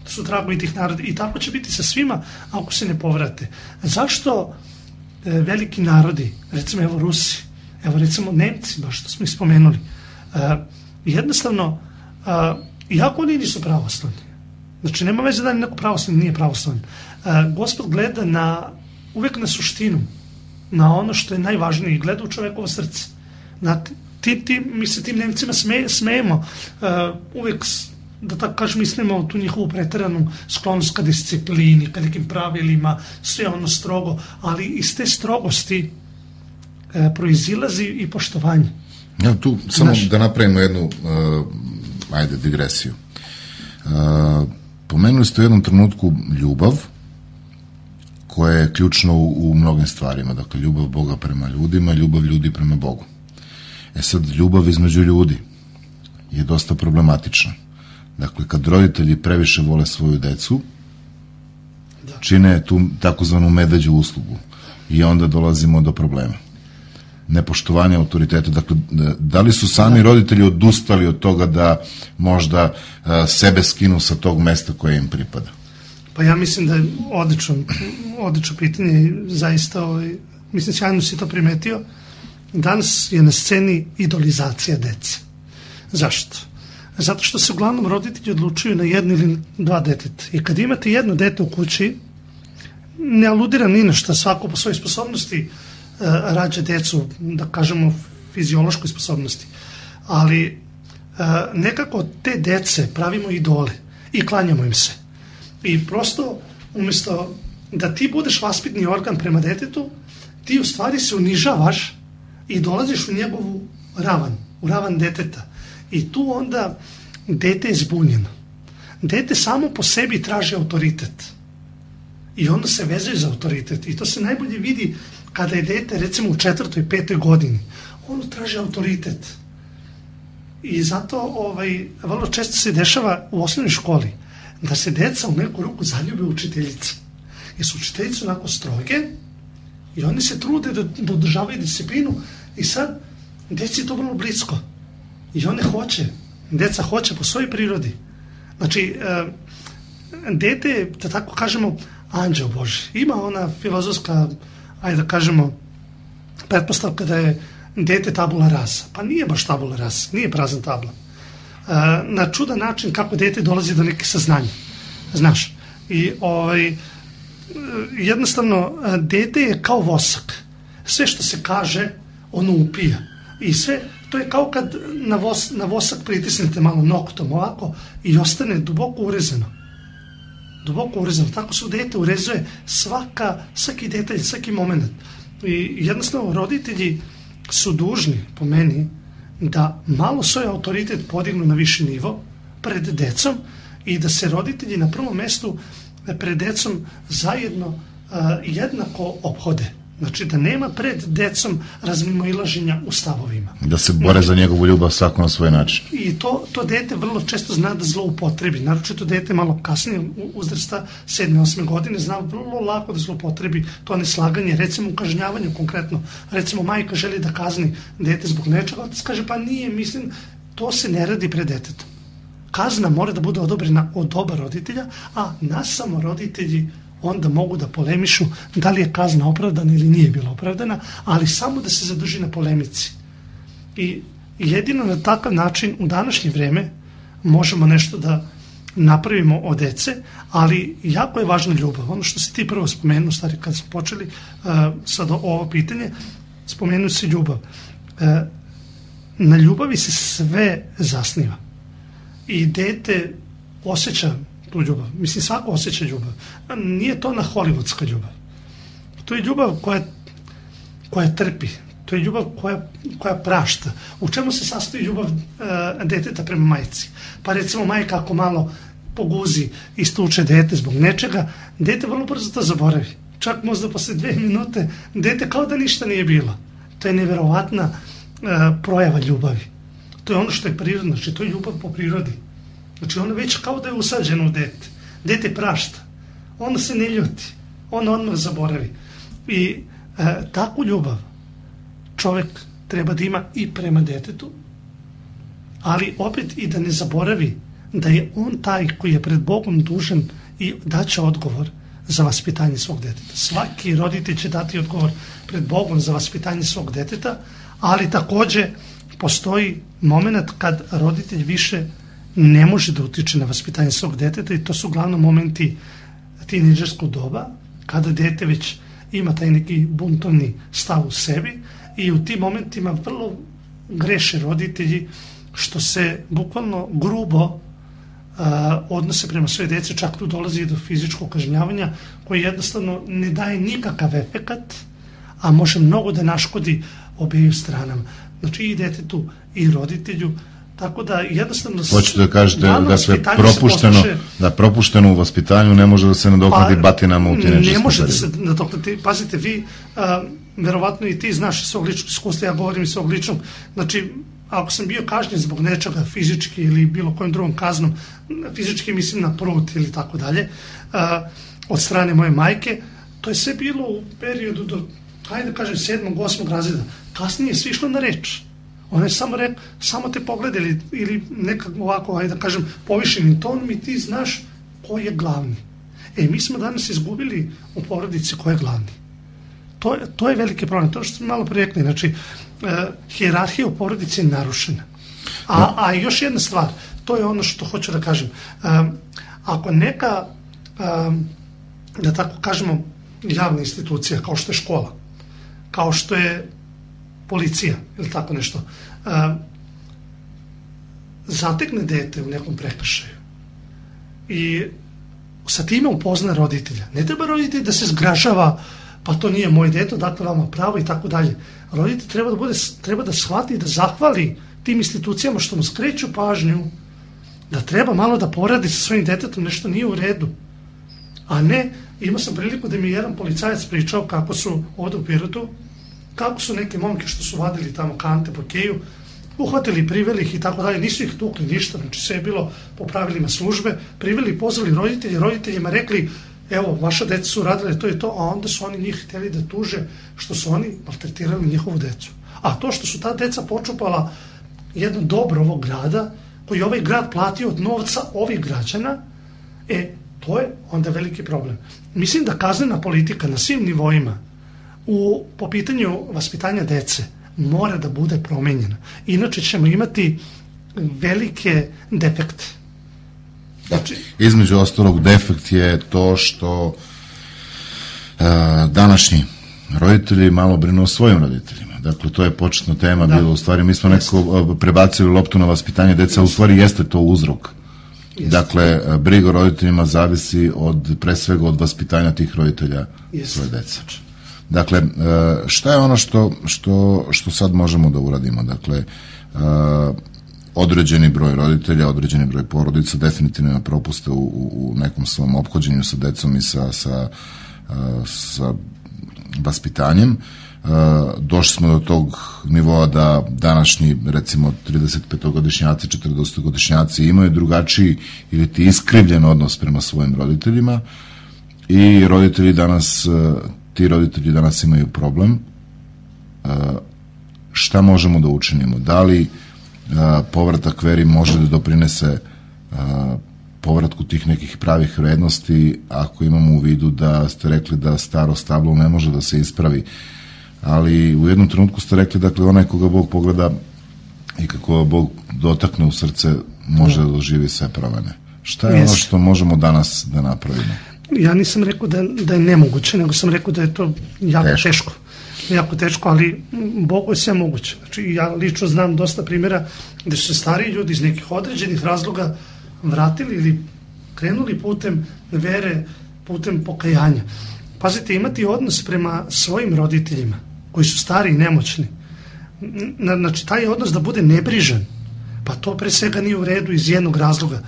To su tragovi tih naroda. I tako će biti sa svima ako se ne povrate. Zašto veliki narodi, recimo evo Rusi, evo recimo Nemci, baš što smo ih spomenuli, jednostavno, iako oni nisu pravoslavni, znači nema veze da li neko pravoslavni nije pravoslavni, Gospod gleda uvek na suštinu, na ono što je najvažnije i gleda u čovekovo srce. Mi se tim Nemcima smejemo, uvek, da tako kažem, mislimo tu njihovu preteranu sklonost ka disciplini, ka nekim pravilima, sve ono strogo, ali iz te strogosti proizilazi i poštovanje. Ja, tu samo da napravimo jednu digresiju. Pomenuli ste u jednom trenutku ljubav, koja je ključna u mnogim stvarima. Dakle, ljubav Boga prema ljudima, ljubav ljudi prema Bogu. Sad, ljubav između ljudi je dosta problematična. Dakle, kad roditelji previše vole svoju decu, čine tu takozvanu medveđu uslugu i onda dolazimo do problema. Nepoštovanje autoriteta. Dakle, da li su sami roditelji odustali od toga da možda sebe skinu sa tog mesta koje im pripada? Pa ja mislim da je odlično pitanje, zaista, mislim, sjajno si to primetio. Danas je na sceni idolizacija dece. Zašto? Zato što se uglavnom roditelji odlučuju na jedno ili dva deteta. I kad imate jedno dete u kući, ne aludiram ni na šta, svako po svojoj sposobnosti rađa decu, da kažemo fiziološkoj sposobnosti. Ali nekako te dece pravimo idole i klanjamo im se. I prosto, umjesto da ti budeš vaspitni organ prema detetu, ti u stvari se unižavaš i dolaziš u njegovu ravan, u ravan deteta. I tu onda dete je zbunjeno. Dete samo po sebi traži autoritet. I onda se vezuje za autoritet. I to se najbolje vidi kada je dete, recimo u 4. i 5. godini. Ono traži autoritet. I zato vrlo često se dešava u osnovnoj školi da se deca u neku ruku zaljube učiteljica. Jer su učiteljice onako stroge i oni se trude da održavaju disciplinu i sad deci je to vrlo blisko. I one deca hoće po svojoj prirodi. Znači, dete je, da tako kažemo, anđeo Boži. Ima ona filozofska, ajde da kažemo, pretpostavka da je dete tabula rasa. Pa nije baš tabula rasa, nije prazna tabla. Na čudan način kako dete dolazi do nekih saznanja. Znaš, i jednostavno, dete je kao vosak. Sve što se kaže, ono upija. I sve, to je kao kad na vosak pritisnete malo noktom ovako i ostane duboko urezano. Duboko urezano. Tako se u dete urezuje svaki detalj, svaki moment. I jednostavno roditelji su dužni, po meni, da malo svoj autoritet podignu na viši nivo pred decom i da se roditelji na prvom mestu pred decom zajedno jednako ophode. Znači da nema pred decom razmimoilaženja u stavovima. Da se bore za njegovu ljubav svako na svoj način. I to dete vrlo često zna da zloupotrebi. Naročito dete malo kasnije uzrasta 7. 8. godine zna vrlo lako da zloupotrebi to neslaganje, recimo u kažnjavanju konkretno. Recimo majka želi da kazni dete zbog nečega, otac kaže pa nije, mislim, to se ne radi pred detetom. Kazna mora da bude odobrena od oba roditelja, a nas samo roditelji onda mogu da polemišu da li je kazna opravdana ili nije bila opravdana, ali samo da se zadrži na polemici. I jedino na takav način u današnje vreme možemo nešto da napravimo od dece, ali jako je važna ljubav. Ono što si ti prvo spomenuo, stari, kad smo počeli sad ovo pitanje, spomenuo si ljubav. Na ljubavi se sve zasniva. I dete osjeća tu ljubav. Mislim, svako osjeća ljubav. Nije to na hollywoodska ljubav. To je ljubav koja trpi, To je ljubav koja prašta. U čemu se sastoji ljubav deteta prema majci? Pa recimo majka ako malo poguzi i stuče dete zbog nečega, dete vrlo brzo to zaboravi. Čak možda posle 2 minute dete kao da ništa nije bilo. To je neverovatna projava ljubavi. To je ono što je prirodno, znači to je ljubav po prirodi. Znači ono već kao da je usađeno u dete. Dete prašta. Ono se ne ljuti. Ono odmah zaboravi. I takvu ljubav čovjek treba da ima i prema detetu, ali opet i da ne zaboravi da je on taj koji je pred Bogom dužan i daće odgovor za vaspitanje svog deteta. Svaki roditelj će dati odgovor pred Bogom za vaspitanje svog deteta, ali također postoji moment kad roditelj više ne može da utiče na vaspitanje svog deteta i to su uglavnom momenti tinejdžerskog doba, kada dete već ima taj neki buntovni stav u sebi i u tim momentima vrlo greše roditelji što se bukvalno grubo odnose prema svoje djece, čak tu dolazi do fizičkog kažnjavanja koji jednostavno ne daje nikakav efekat, a može mnogo da naškodi obiju stranama. Znači i detetu i roditelju, tako da jednostavno... Hoćete da kažete da se propušteno u vaspitanju ne može da se nadoknadi batinama u tinejdžerskom periodu. Ne može da se nadoknadi. Pazite, vi, verovatno i ti znaš iz svog ličnog iskustva, ja govorim iz svog ličnog, znači ako sam bio kažnjen zbog nečega fizički ili bilo kojom drugom kaznom, fizički mislim na prut ili tako dalje, od strane moje majke, to je sve bilo u periodu do, hajde da kažem, 7. 8. razreda. Kasnije je svi išlo na reč. Ona je samo rekla, samo te pogledali ili nekako ovako, hajde da kažem, povišenim tonom i ti znaš ko je glavni. Mi smo danas izgubili u porodici ko je glavni. To je veliki problem. To što smo malo prirekli, znači, hijerarhija u porodici je narušena. A još jedna stvar, to je ono što hoću da kažem. Ako neka, da tako kažemo, javna institucija, kao što je škola, kao što je policija ili tako nešto, zatekne dete u nekom prekršaju i sa time upozna roditelja. Ne treba roditelj da se zgražava, pa to nije moje dete, dakle vama pravo i tako dalje. Roditelj treba da shvati i da zahvali tim institucijama što mu skreću pažnju, da treba malo da poradi sa svojim detetom, nešto nije u redu. A ne, imao sam priliku da mi jedan policajac pričao kako su ovdje u Pirotu, kako su neke momke što su vadili tamo kante po keju, uhvatili, priveli ih i tako dalje, nisu ih tukli ništa, znači sve je bilo po pravilima službe, priveli i pozvali roditeljima rekli, evo, vaša deca su radile to i to, a onda su oni njih htjeli da tuže što su oni maltretirali njihovu decu. A to što su ta deca počupala jedno dobro ovog grada, koji je ovaj grad platio od novca ovih građana, to je onda veliki problem. Mislim da kaznena politika na svim nivoima po pitanju vaspitanja dece mora da bude promenjena. Inače ćemo imati velike defekte. Znači, između ostalog defekt je to što današnji roditelji malo brinu o svojim roditeljima. Dakle, to je početna tema bila u stvari. Mi smo nekako prebacili loptu na vaspitanje deca, u stvari jeste to uzrok. Dakle, briga o roditeljima zavisi pre svega od vaspitanja tih roditelja svoje dece. Dakle, šta je ono što sad možemo da uradimo? Dakle, određeni broj roditelja, određeni broj porodica definitivno ima propuste u nekom svom ophođenju sa decom i sa vaspitanjem. Došli smo do tog nivoa da današnji, recimo, 35-godišnjaci, 40-godišnjaci imaju drugačiji ili ti iskrivljen odnos prema svojim roditeljima i ti roditelji danas imaju problem. Šta možemo da učinimo? Da li povratak veri može da doprinese povratku tih nekih pravih vrednosti, ako imamo u vidu da ste rekli da staro stablo ne može da se ispravi, ali u jednom trenutku ste rekli, dakle, onaj koga Bog pogleda i kako Bog dotakne u srce može da doživi sve promene. Šta je ono što možemo danas da napravimo? Ja nisam rekao da je nemoguće, nego sam rekao da je to jako teško, ali Bogu je sve moguće. Znači, ja lično znam dosta primjera gde su se stariji ljudi iz nekih određenih razloga vratili ili krenuli putem vere, putem pokajanja. Pazite, imati odnos prema svojim roditeljima koji su stari i nemoćni, Znači, taj odnos da bude nebrižan, pa to pre svega nije u redu iz jednog razloga.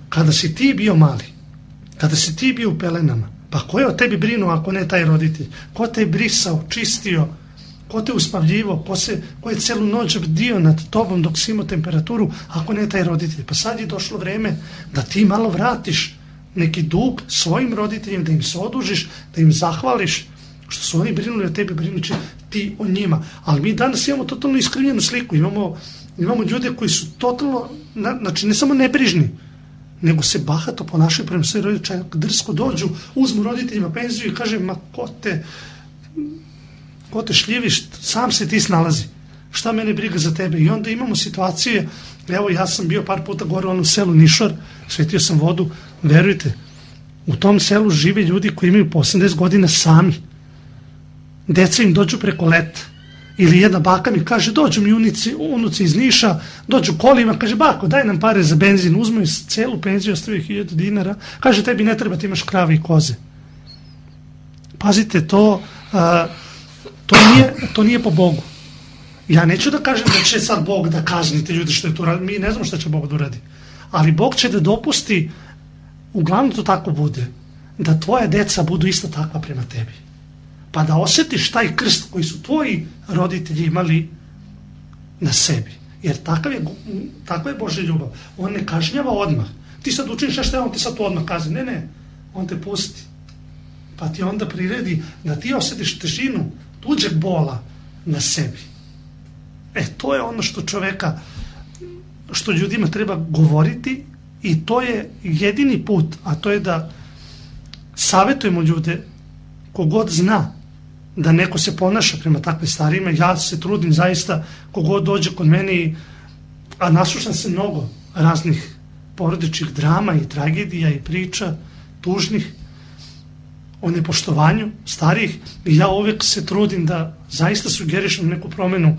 Kada si ti bio mali, kada si ti bio u pelenama, pa ko je o tebi brinuo ako ne taj roditelj? Ko te je brisao, čistio, ko te uspavljivo, ko je celu noć bdio nad tobom dok si imao temperaturu, ako ne taj roditelj? Pa sad je došlo vreme da ti malo vratiš neki dug svojim roditeljima, da im se odužiš, da im zahvališ što su oni brinuli o tebi, brinući ti o njima. Ali mi danas imamo totalno iskrivljenu sliku, imamo ljude koji su totalno, znači ne samo nebrižni, nego se bahato ponašaju prema svojim roditeljima, drsko dođu, uzmu roditeljima penziju i kaže, ma ko te šljiviš, sam se ti snalazi, šta mene briga za tebe. I onda imamo situacije, evo ja sam bio par puta gore u onom selu Nišor, svetio sam vodu, verujte, u tom selu žive ljudi koji imaju po 80 godina sami, deca im dođu preko leta, ili jedna baka mi kaže, dođu mi unuci iz Niša, dođu kolima, kaže, bako, daj nam pare za benzin, uzmaju celu penziju, ostavaju 1000 dinara, kaže, tebi ne treba, ti imaš krave i koze. Pazite, to nije po Bogu. Ja neću da kažem da će sad Bog da kazni te ljude što je to radi, mi ne znamo šta će Bog da uradi, ali Bog će da dopusti, uglavnom to tako bude, da tvoja deca budu isto takva prema tebi. Pa da osjetiš taj krst koji su tvoji roditelji imali na sebi. Jer takva je Božja ljubav. On ne kažnjava odmah. Ti sad učiniš nešto, on te sad to odmah kazni. Ne, on te pusti. Pa ti onda priredi da ti osjetiš težinu tuđeg bola na sebi. To je ono što ljudima treba govoriti i to je jedini put, a to je da savjetujemo ljude, kogod zna da neko se ponaša prema takvim starima. Ja se trudim zaista, kogod dođe kod mene, a naslušam se mnogo raznih porodičnih drama i tragedija i priča tužnih o nepoštovanju starijih, i ja uvijek se trudim da zaista sugerišem neku promenu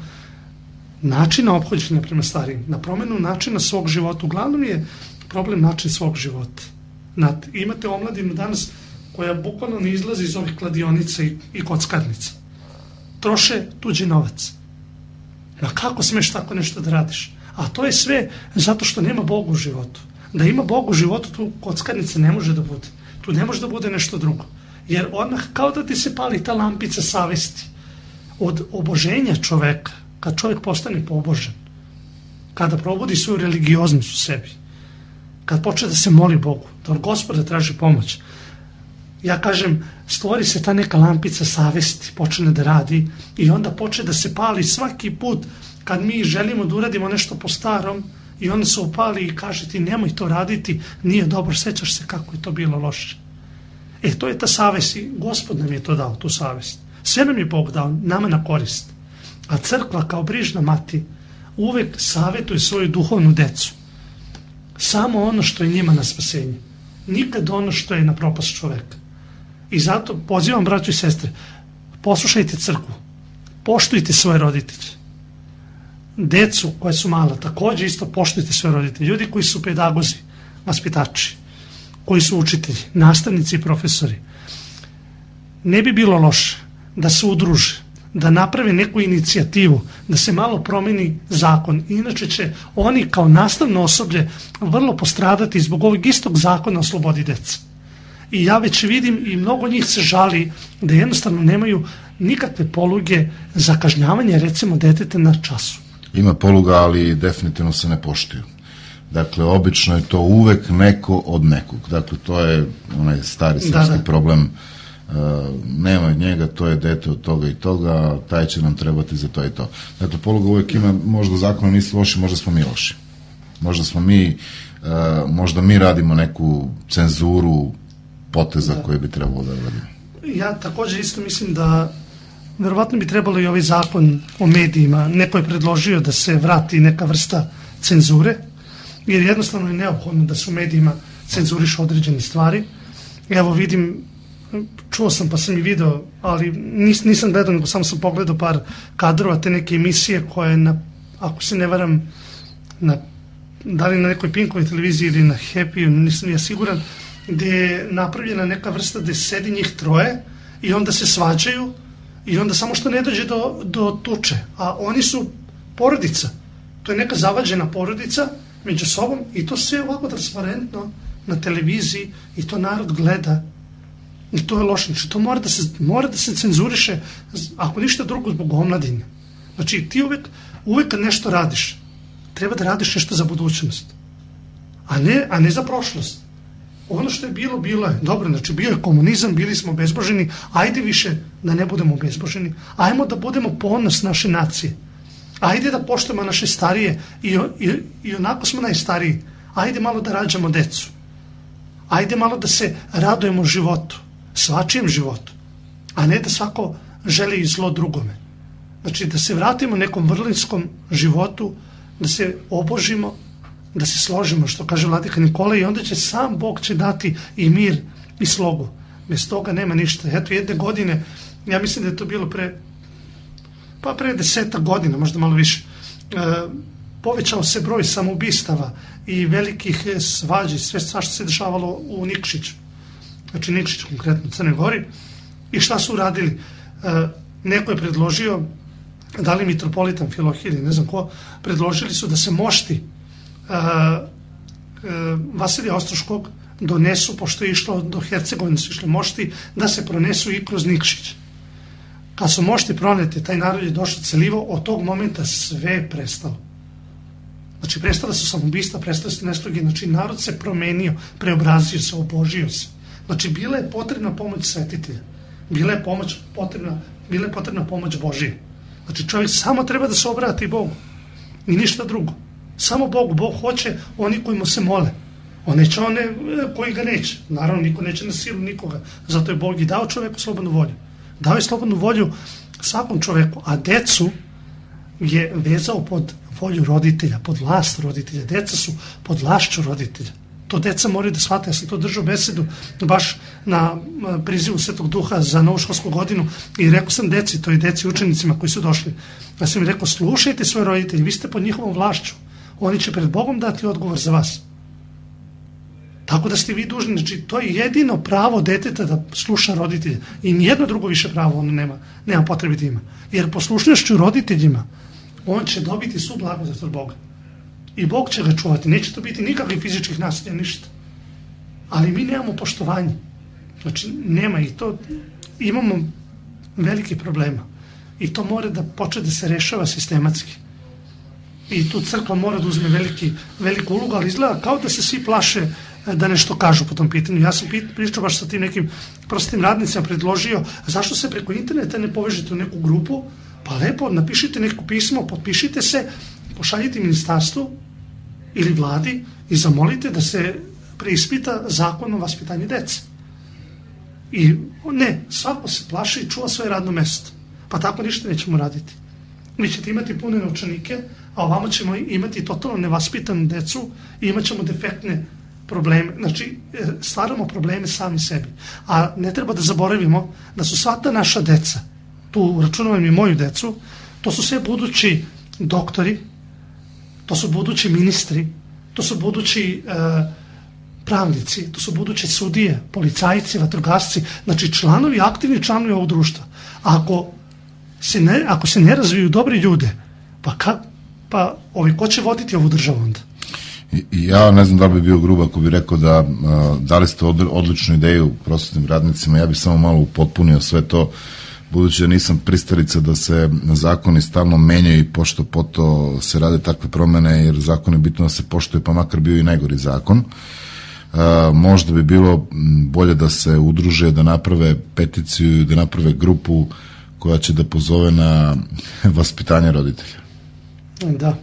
načina ophođenja prema starijim, na promenu načina svog života. Uglavnom je problem način svog života. Imate omladinu danas koja bukvalno ne izlazi iz ovih kladionica i kockarnica. Troše tuđi novac. Ma kako smeš tako nešto da radiš? A to je sve zato što nema Boga u životu. Da ima Boga u životu, tu kockarnica ne može da bude. Tu ne može da bude nešto drugo. Jer odmah kao da ti se pali ta lampica savesti od oboženja čoveka, kad čovjek postane pobožan, kada probudi svoju religioznost u sebi, kad počne da se moli Bogu, da od Gospoda traži pomoć. Ja kažem, stvori se ta neka lampica savesti, počne da radi i onda počne da se pali svaki put kad mi želimo da uradimo nešto po starom i onda se upali i kaže ti nemoj to raditi, nije dobro, sećaš se kako je to bilo loše. To je ta savest i Gospod nam je to dao, tu savest. Sve nam je Bog dao, nama na korist. A crkva kao brižna mati uvek savjetuje svoju duhovnu decu. Samo ono što je njima na spasenje. Nikad ono što je na propast čoveka. I zato pozivam braću i sestre, poslušajte crkvu, poštujte svoje roditelje. Decu koja su mala, također isto poštujte svoje roditelje. Ljudi koji su pedagozi, vaspitači, koji su učitelji, nastavnici i profesori. Ne bi bilo loše da se udruže, da naprave neku inicijativu, da se malo promeni zakon. Inače će oni kao nastavno osoblje vrlo postradati zbog ovog istog zakona o slobodi dece. I ja već vidim i mnogo njih se žali da jednostavno nemaju nikakve poluge za kažnjavanje recimo deteta na času. Ima poluga, ali definitivno se ne poštuju. Dakle, obično je to uvek neko od nekog. Dakle, to je onaj stari srpski problem. Nema od njega, to je dete od toga i toga, taj će nam trebati za to i to. Dakle, poluga uvek ima, možda zakonom nisu loši, možda smo mi loši. Možda mi radimo neku cenzuru poteza koje bi trebalo da radimo. Ja također isto mislim da verovatno bi trebalo i ovaj zakon o medijima, neko je predložio da se vrati neka vrsta cenzure, jer jednostavno je neophodno da se u medijima cenzuriš određene stvari. Evo vidim, čuo sam pa sam i video, ali nisam gledao, nego samo sam pogledao par kadrova te neke emisije koje, ako se ne varam, da li na nekoj Pinkovoj televiziji ili na Happy, nisam ja siguran, gdje je napravljena neka vrsta gdje sedi njih troje i onda se svađaju i onda samo što ne dođe do tuče, a oni su porodica. To je neka zavađena porodica među sobom i to sve ovako transparentno na televiziji i to narod gleda i to je loše. Znači to mora da se cenzuriše, ako ništa drugo zbog omladine. Znači ti uvek kad nešto radiš, treba da radiš nešto za budućnost, a ne za prošlost. Ono što je bilo je. Dobro, znači bio je komunizam, bili smo bezboženi, ajde više da ne budemo bezboženi. Ajmo da budemo ponos naše nacije. Ajde da poštujemo naše starije i onako smo najstariji. Ajde malo da rađamo decu. Ajde malo da se radujemo životu, svačijem životu, a ne da svako želi zlo drugome. Znači da se vratimo nekom vrlinskom životu, da se obožimo, da se složimo, što kaže vladika Nikola, i onda će sam Bog će dati i mir i slogu. Bez toga nema ništa. Eto, jedne godine, ja mislim da je to bilo pre 10 godina, možda malo više, povećao se broj samoubistava i velikih svađi, sve što se dešavalo u Nikšiću. Znači Nikšić, konkretno u Crnoj Gori. I šta su uradili? Neko je predložio, da li mitropolitan Filohije, ne znam ko, predložili su da se mošti Vasilija Ostroškog donesu, pošto je išlo do Hercegovine, su išli mošti, da se pronesu i kroz Nikšić. Kad su mošti proneti, taj narod je došao celivo, od tog momenta sve je prestalo. Znači prestala su samoubistva, prestale su nesloge, znači narod se promenio, preobrazio se, obožio se. Znači bila je potrebna pomoć svetitelja, bila je potrebna pomoć Božija. Znači čovjek samo treba da se obrati Bogu i ništa drugo. Samo Bogu. Bog hoće oni koji mu se mole. On neće one koji ga neće. Naravno, niko neće na silu nikoga. Zato je Bog i dao čovjeku slobodnu volju. Dao je slobodnu volju svakom čovjeku, a decu je vezao pod volju roditelja, pod vlast roditelja. Deca su pod vlašću roditelja. To deca moraju da shvate. Ja sam to držao besedu baš na prizivu Svetog Duha za novu školsku godinu i rekao sam deci, to i deci učenicima koji su došli. Ja sam im rekao, slušajte svoje roditelje, vi ste pod njihovom vlašću. Oni će pred Bogom dati odgovor za vas. Tako da ste vi dužni, znači to je jedino pravo deteta da sluša roditelje i nijedno drugo više pravo ono nema potrebe da ima. Jer poslušnošću roditeljima on će dobiti svu blagodat od Boga. I Bog će ga čuvati, neće to biti nikakvih fizičkih nasilja, ništa. Ali mi nemamo poštovanje. Znači nema i to, imamo velike problema. I to mora da počne da se rešava sistematski. I tu crkva mora da uzme veliku ulogu, ali izgleda kao da se svi plaše da nešto kažu po tom pitanju. Ja sam pričao baš sa tim nekim prostim radnicima, predložio, zašto se preko interneta ne povežete u neku grupu, pa lepo, napišite neko pismo, potpišite se, pošaljite ministarstvu ili vladi i zamolite da se preispita zakon o vaspitanju dece. I ne, svako se plaši i čuva svoje radno mesto. Pa tako ništa nećemo raditi. Mi ćete imati pune novčanike, a ovamo ćemo imati totalno nevaspitanu decu i imat ćemo defektne probleme. Znači, stvaramo probleme sami sebi. A ne treba da zaboravimo da su sva ta naša deca, tu računavam i moju decu, to su sve budući doktori, to su budući ministri, to su budući pravnici, to su buduće sudije, policajci, vatrogasci, znači aktivni članovi ovog društva. Ako se ne razviju dobri ljude, ko će voditi ovu državu onda? Ja ne znam da li bi bio grub ako bi rekao da dali ste odličnu ideju prosvetnim radnicima, ja bih samo malo upotpunio sve to, budući da nisam pristalica da se zakoni stalno menjaju i pošto poto se rade takve promene, jer zakon je bitno da se poštuje, pa makar bio i najgori zakon. Možda bi bilo bolje da se udruže, da naprave peticiju, da naprave grupu koja će da pozove na vaspitanje roditelja. Da.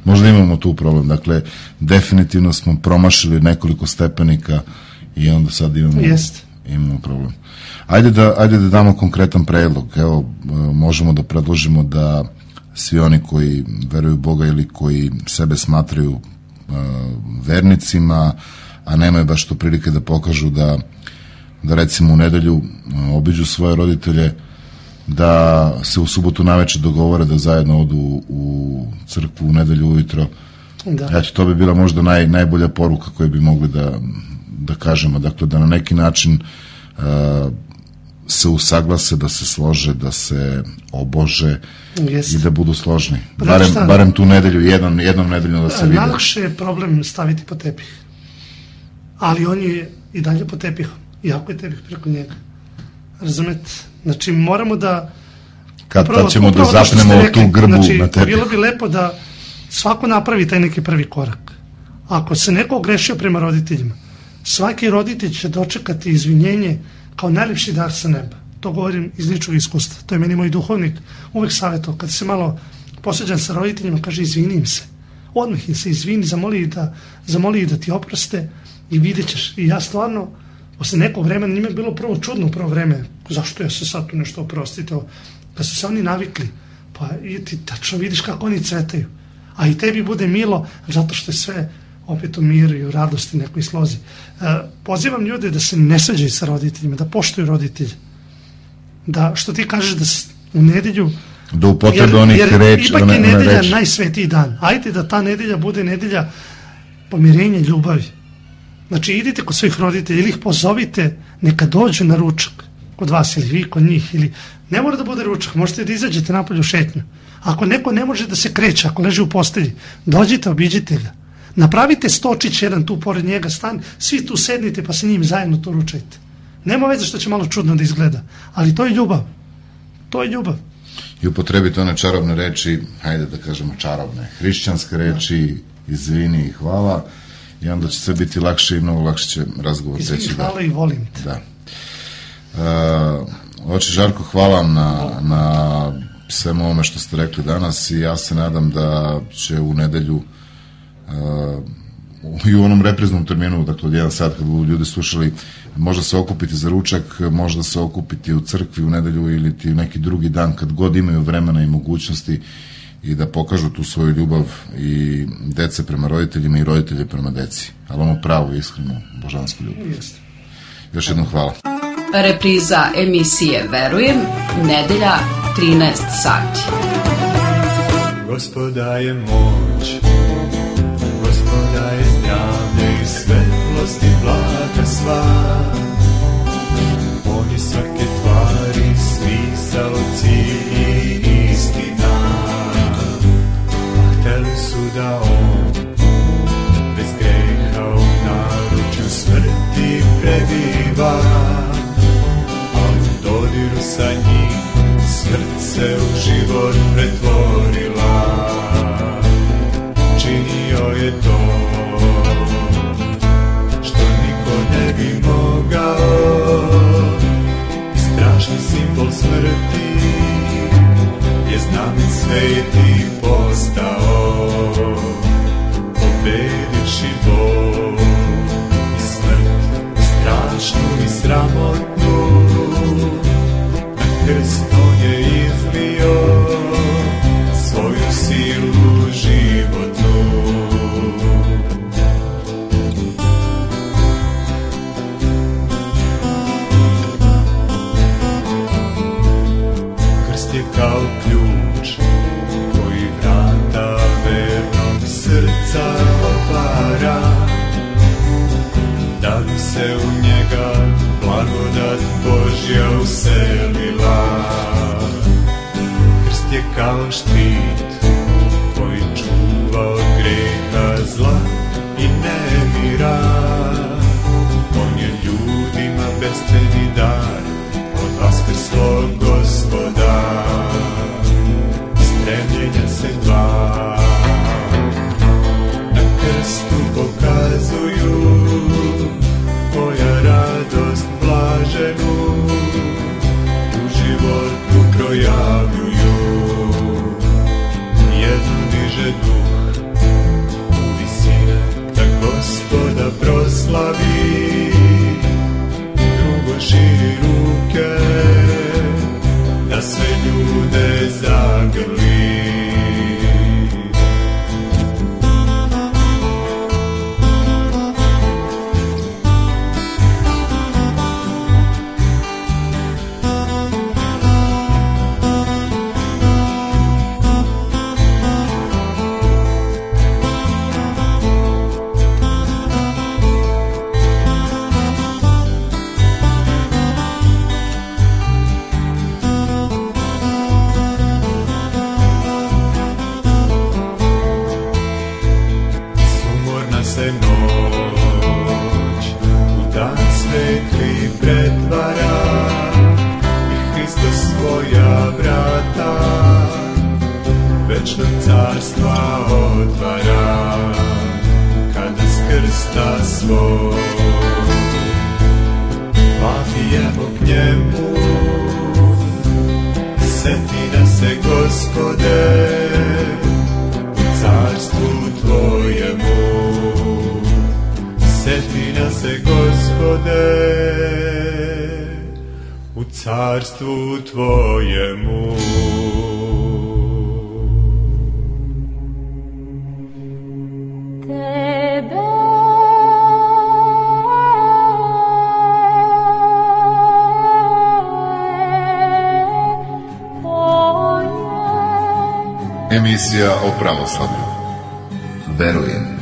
Možda imamo tu problem, dakle definitivno smo promašili nekoliko stepenika i onda sad imamo problem. Ajde da damo konkretan predlog. Evo, možemo da predložimo da svi oni koji veruju u Boga ili koji sebe smatraju vernicima, a nemaju baš to prilike da pokažu da recimo u nedelju obiđu svoje roditelje, da se u subotu naveče dogovore da zajedno odu u crkvu u nedelju ujutro. Eto, to bi bila možda najbolja poruka koju bi mogli da kažemo. Dakle, da na neki način se usaglase, da se slože, da se obože Jeste. i da budu složni. Pa Barem tu nedelju, jednom nedeljno da se vide. Najlakše je problem staviti po tepih. Ali on je i dalje po tepihom. Iako je tepih preko njega. Razumete? Znači moramo da... Kad ćemo da zapnemo tu grbu na tepih. Bilo bi lepo da svako napravi taj neki prvi korak. Ako se neko ogrešio prema roditeljima, svaki roditelj će dočekati izvinjenje kao najljepši dar sa neba. To govorim iz ličnog iskustva. To je meni moj duhovnik uvek savjetao. Kad se malo posveđam sa roditeljima, kaže izvini im se. Odmah im se izvini, zamoli da ti oproste i vidjet ćeš. I ja stvarno, posle nekog vremena, njima je bilo prvo čudno u prvo vreme. Zašto ja se sad tu nešto oprostite? Kad su se oni navikli, pa i ti tačno vidiš kako oni cvetaju. A i tebi bude milo, zato što je sve opet u miru i u radosti, nekoj slozi. Pozivam ljude da se ne svađaju sa roditeljima, da poštuju roditelje. Da, što ti kažeš, da u nedelju... Da upotrebe onih reči. Ipak je nedelja najsvetiji dan. Ajde da ta nedelja bude nedelja pomirenja, ljubavi. Znači, idite kod svojih roditelja ili ih pozovite, neka dođu na ručak kod vas ili vi kod njih. Ili... Ne mora da bude ručak, možete da izađete napolje u šetnju. Ako neko ne može da se kreće, ako leži u postelji, dođite, obiđite ga. Napravite stočić jedan tu pored njega, stan, svi tu sednite pa se njim zajedno tu ručajte. Nema veze što će malo čudno da izgleda, ali to je ljubav. To je ljubav. I upotrebite one čarobne reči, hajde da kažemo čarobne, hrišćanske reči, izvini i hvala, i onda će sve biti lakše i mnogo lakše će razgovor teći. Izvini, hvala i volim te. Da. Oče Žarko, hvala vam na svemu ovome što ste rekli danas i ja se nadam da će u nedelju i u onom repriznom terminu, dakle od 1 sat kad budu ljudi slušali, možda se okupiti za ručak, možda se okupiti u crkvi u nedelju ili ti neki drugi dan kad god imaju vremena i mogućnosti i da pokažu tu svoju ljubav i dece prema roditeljima i roditelje prema deci, ali ono pravu, iskrenu, božansku ljubav. Još jednom hvala. Repriza emisije Verujem, nedelja 13 sati. Gospoda je moć, Gospoda je zdravlje i svetlost i blaga sva. On je svake tvari smisao, cilj i istina. A hteli su da on bez greha u naručju smrti prebiva, ali u dodiru sa njim smrt se u život pretvorila. Činio je to što niko ne bi mogao. Strašni simbol smrti je znamen sveti postao. Pobedivši bol i smrt, strašnu i sramotnu, na krst on je izlio svoju silu životnu. Krst je kao ključ koji vrata vernog srca otvara, da bi se u njega blagodat Božja uselila. Krst je kao štit koji čuva od greha, zla i nemira. On je ljudima besceni dar od vaskrslog Gospoda. Stremljenja se dva na krstu pokazuju, koja radost blaženu u životu projavljuju. za svo. Vapijemo k njemu, seti nas se Gospode, u carstvu tvojemu. Seti nas se Gospode, u carstvu tvojemu. Emisija o pravoslavlju. Verujem.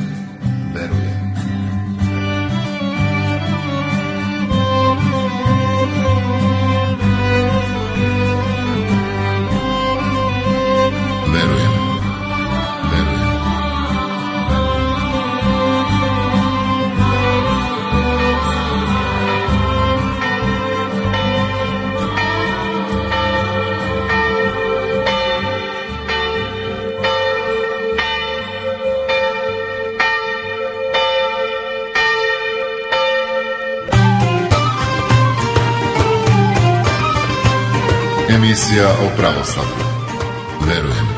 Emisija o pravoslavlju. Verujem.